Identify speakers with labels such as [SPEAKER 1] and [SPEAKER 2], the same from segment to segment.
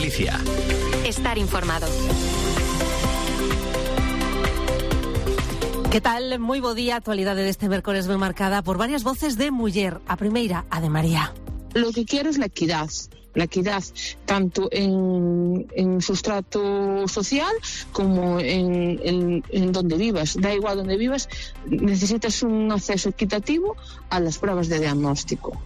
[SPEAKER 1] Galicia.
[SPEAKER 2] Estar informado.
[SPEAKER 3] Que tal? Moi bo día. A actualidade deste mércores ben marcada por varias voces de muller. A primeira, a de María.
[SPEAKER 4] Lo que quiero es la equidad tanto en sustrato social como en donde vivas. Da igual donde vivas, necesitas un acceso equitativo a las pruebas de diagnóstico.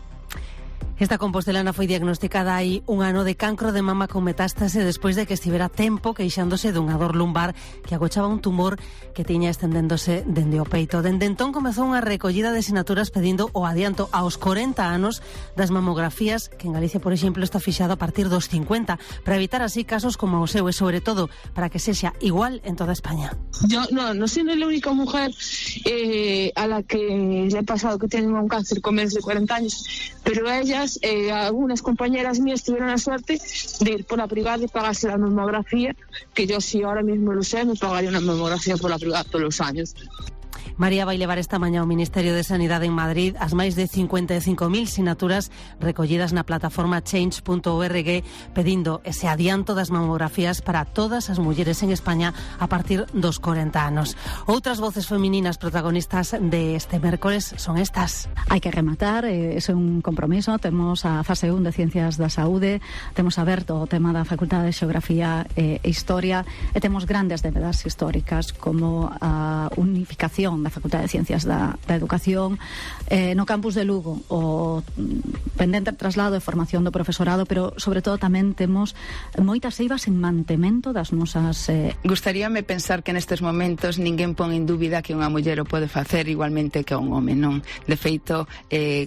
[SPEAKER 3] Esta compostelana foi diagnosticada hai un ano de cancro de mama con metástase despois de que estivera tempo queixándose dunha dor lumbar que agochaba un tumor que tiña estendéndose dende o peito. Dende entón comezou unha recollida de sinaturas pedindo o adianto aos 40 anos das mamografías, que en Galicia, por exemplo, está fixado a partir dos 50, para evitar así casos como o seu e, sobre todo, para que sexa igual en toda España.
[SPEAKER 4] Yo no soy la única mujer a la que le ha pasado que tiene un cáncer con menos de 40 años, pero ellas, algunas compañeras mías tuvieron la suerte de ir por la privada y pagarse la mamografía, que yo si ahora mismo lo sé, me pagaría una mamografía por la privada todos los años.
[SPEAKER 3] María vai levar esta mañá ao Ministerio de Sanidade en Madrid as máis de 55.000 sinaturas recollidas na plataforma change.org pedindo ese adianto das mamografías para todas as mulleres en España a partir dos 40 anos. Outras voces femininas protagonistas de este mércores son estas.
[SPEAKER 5] Hai que rematar, é un compromiso. Temos a fase 1 de Ciencias da Saúde, temos aberto o tema da Facultade de Xeografía e Historia e temos grandes debedas históricas como a unificación da Facultade de Ciencias da Educación no campus de Lugo, o pendente traslado e formación do profesorado, pero sobre todo tamén temos moitas eivas en mantemento das nosas...
[SPEAKER 6] Gustaríame pensar que nestes momentos ninguén pon en dúbida que unha muller o pode facer igualmente que un home, non? De feito,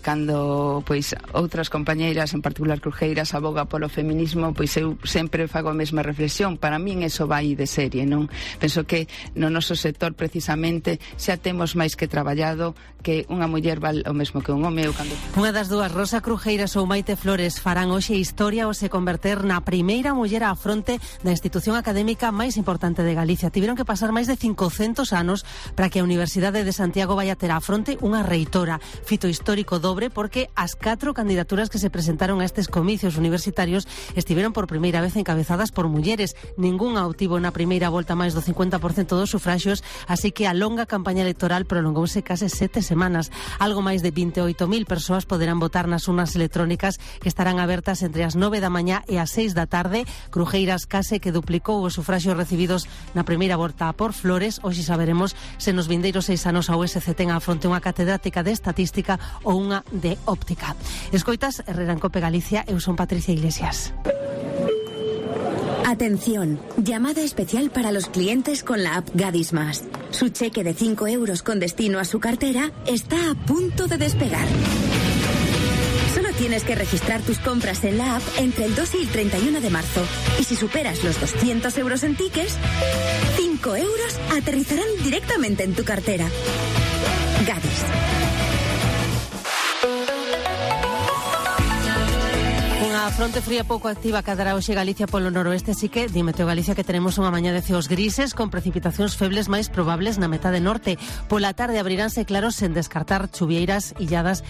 [SPEAKER 6] cando pois outras compañeiras, en particular Crujeiras, aboga polo feminismo, pois eu sempre fago a mesma reflexión. Para min eso vai de serie, non? Penso que no noso sector precisamente xa temos máis que traballado que unha muller val o mesmo que un home.
[SPEAKER 3] Unha das dúas, Rosa Crujeiras ou Maite Flores, farán hoxe historia ao se converter na primeira muller á fronte da institución académica máis importante de Galicia. Tiveron que pasar máis de 500 anos para que a Universidade de Santiago vai a ter á fronte unha reitora. Fito histórico dobre porque as 4 candidaturas que se presentaron a estes comicios universitarios estiveron por primeira vez encabezadas por mulleres. Ninguna obtivo na primeira volta máis do 50% dos sufraxios, así que a longa campaña electoral prolongouse case 7 semanas. Algo máis de 28.000 persoas poderán votar nas urnas electrónicas que estarán abertas entre as 9 da mañá e as 6 da tarde. Crujeiras case que duplicou os sufraxios recibidos na primeira volta por Flores. Hoxe saberemos se nos vindeiros 6 anos a USC ten á fronte unha catedrática de estatística ou unha de óptica. Escoitas Herrera en Cope Galicia, eu son Patricia Iglesias.
[SPEAKER 7] Atención, llamada especial para los clientes con la app Gadis Más. Su cheque de 5 euros con destino a su cartera está a punto de despegar. Solo tienes que registrar tus compras en la app entre el 2 y el 31 de marzo. Y si superas los 200 euros en tickets, 5 euros aterrizarán directamente en tu cartera. Gadis.
[SPEAKER 3] Unha fronte fría pouco activa cadará hoxe Galicia polo noroeste, así que di Meteo Galicia que teremos unha mañá de ceos grises con precipitacións febles máis probables na metade norte. Pola tarde abriránse claros sen descartar chuvieiras illadas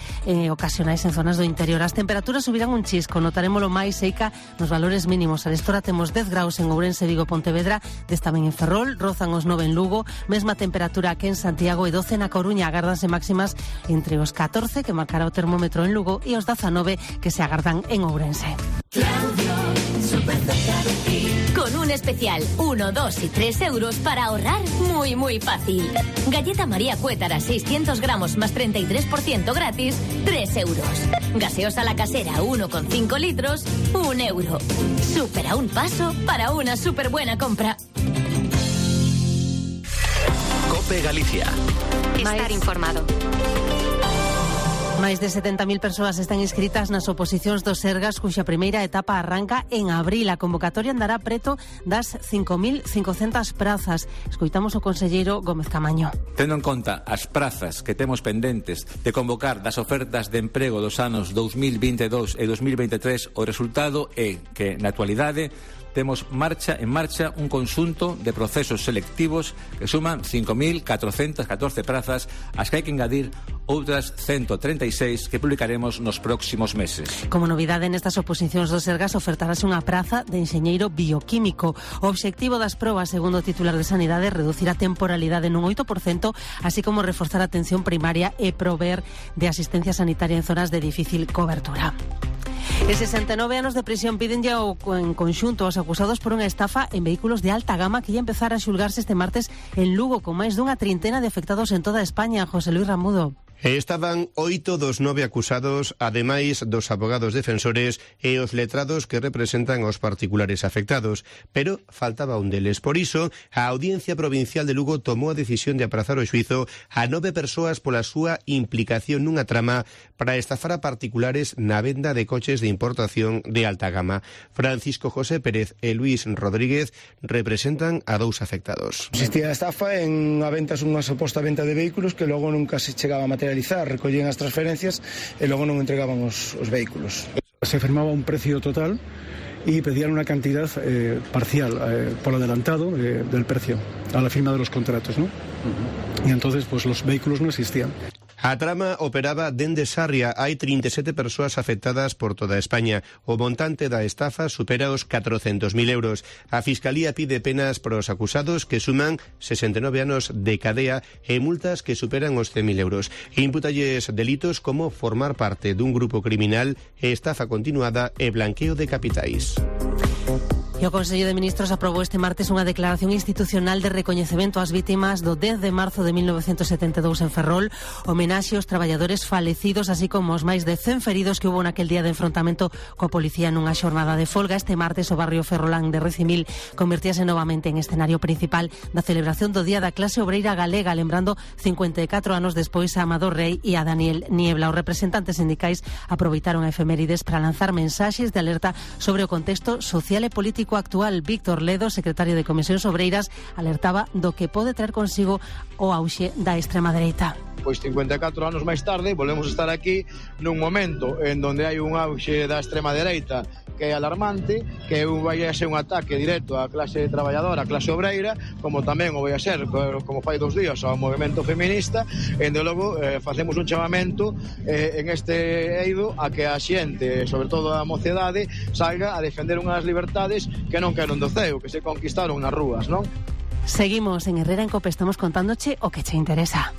[SPEAKER 3] ocasionais en zonas do interior. As temperaturas subirán un chisco, notarémolo máis seica nos valores mínimos. A estora temos 10 graus en Ourense, Vigo, Pontevedra, 10 tamén en Ferrol, rozan os 9 en Lugo, mesma temperatura que en Santiago e 12 na Coruña. Agárdanse máximas entre os 14 que marcará o termómetro en Lugo e os 19 que se agardan en Ourense.
[SPEAKER 8] Claudio, súper cerca de ti. Con un especial 1, 2 y 3 euros para ahorrar muy, muy fácil. Galleta María Cuétara 600 gramos más 33% gratis, 3 euros. Gaseosa La Casera 1,5 litros, 1 euro. Súper a un paso para una súper buena compra.
[SPEAKER 1] Cope Galicia.
[SPEAKER 2] Estar informado.
[SPEAKER 3] Máis de 70.000 persoas están inscritas nas oposicións do Sergas, cuxa primeira etapa arranca en abril. A convocatoria andará preto das 5.500 prazas. Escoitamos o conselleiro Gómez Camaño.
[SPEAKER 9] Tendo en conta as prazas que temos pendentes de convocar das ofertas de emprego dos anos 2022 e 2023, o resultado é que, na actualidade, temos en marcha un conxunto de procesos selectivos que suman 5.414 prazas, as que hai que engadir outras 136 que publicaremos nos próximos meses.
[SPEAKER 3] Como novidade nestas oposicións do Sergas ofertarase unha praza de enxeñeiro bioquímico. O obxectivo das probas, segundo o titular de Sanidade, é reducir a temporalidade nun 8%, así como reforzar a atención primaria e prover de asistencia sanitaria en zonas de difícil cobertura. E 69 anos de prisión pídenlle en conxunto aos acusados por unha estafa en vehículos de alta gama que ia empezar a xulgarse este martes en Lugo, con máis dunha trintena de afectados en toda España. José Luis Ramudo.
[SPEAKER 10] Estaban 8 dos 9 acusados, ademais dos abogados defensores e os letrados que representan aos particulares afectados, pero faltaba un deles. Por iso, a Audiencia Provincial de Lugo tomou a decisión de aprazar o xuizo a 9 persoas pola súa implicación nunha trama para estafar a particulares na venda de coches de importación de alta gama. Francisco José Pérez e Luis Rodríguez representan a 2 afectados.
[SPEAKER 11] Existía a estafa en a ventas, unha suposta venta de vehículos que logo nunca se chegaba a materializar, recollían as transferencias e logo non entregaban os vehículos.
[SPEAKER 12] Se firmaba un precio total y pedían una cantidad parcial por adelantado del precio a la firma de los contratos, ¿no? Y entonces pues los vehículos no existían.
[SPEAKER 10] A trama operaba dende Sarria. Hai 37 persoas afectadas por toda España. O montante da estafa supera os 400.000 euros. A Fiscalía pide penas para os acusados que suman 69 anos de cadea e multas que superan os 100.000 euros. Impútalles delitos como formar parte dun grupo criminal, estafa continuada e blanqueo de capitais.
[SPEAKER 3] E o Consello de Ministros aprobou este martes unha declaración institucional de recoñecemento ás vítimas do 10 de marzo de 1972 en Ferrol, homenaxe aos traballadores falecidos, así como os máis de 100 feridos que hubo naquel día de enfrontamento coa policía nunha xornada de folga. Este martes o barrio ferrolán de Recimil convertíase novamente en escenario principal da celebración do Día da Clase Obreira Galega, lembrando 54 anos despois a Amador Rey e a Daniel Niebla. Os representantes sindicais aproveitaron a efemérides para lanzar mensaxes de alerta sobre o contexto social e político actual. Víctor Ledo, secretario de Comisións Obreiras, alertaba do que pode traer consigo o auxe da extrema dereita.
[SPEAKER 13] Pois 54 anos máis tarde volvemos a estar aquí nun momento en donde hai un auxe da extrema dereita que é alarmante, que vai a ser un ataque directo á clase traballadora, á clase obreira, como tamén o vai a ser, como fai 2 días, ao movimento feminista. E de logo facemos un chamamento en este eido a que a xente, sobre todo a mocedade, salga a defender unhas libertades que non queren do ceo, que se conquistaron nas rúas, non?
[SPEAKER 3] Seguimos en Herrera en Cope, estamos contándoche o que che interesa.